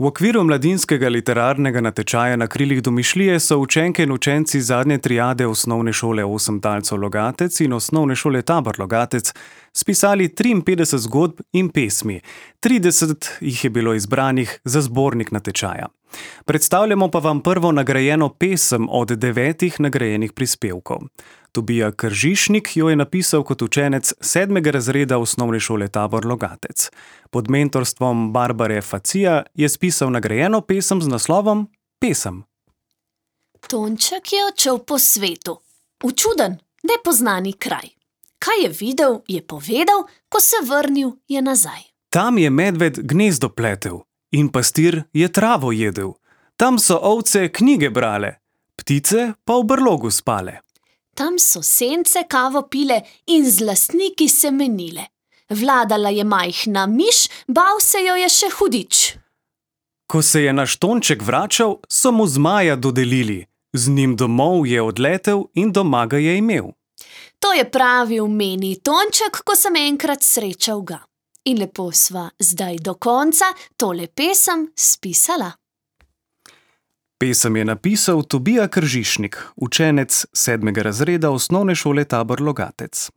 V okviru mladinskega literarnega natečaja Na krilih domišljije so učenke in učenci zadnje triade Osnovne šole Osem talcev Logatec in Osnovne šole Tabor Logatec spisali 53 zgodb in pesmi. 30 jih je bilo izbranih za zbornik natečaja. Predstavljamo pa vam prvo nagrajeno pesem od 9 nagrajenih prispevkov. Tobija Kržišnik jo je napisal kot učenec 7. razreda Osnovne šole Tabor Logatec. Pod mentorstvom Barbare Facija je spisal nagrajeno pesem z naslovom Pesem. Tonček je odšel po svetu, v čuden, nepoznani kraj. Kaj je videl, je povedal, ko se vrnil, je nazaj. Tam je medved gnezdo pletel in pastir je travo jedel. Tam so ovce knjige brale, ptice pa v brlogu spale. Tam so sence kavo pile in z lastniki se menile. Vladala je majhna miš, bal se jo je še hudič. Ko se je naš Tonček vračal, so mu zmaja dodelili. Z njim domov je odletel in doma ga je imel. To je pravil meni Tonček, ko sem enkrat srečal ga. In lepo sva zdaj do konca tole pesem spisala. Pesem je napisal Tobija Kržišnik, učenec 7. razreda Osnovne šole Tabor Logatec.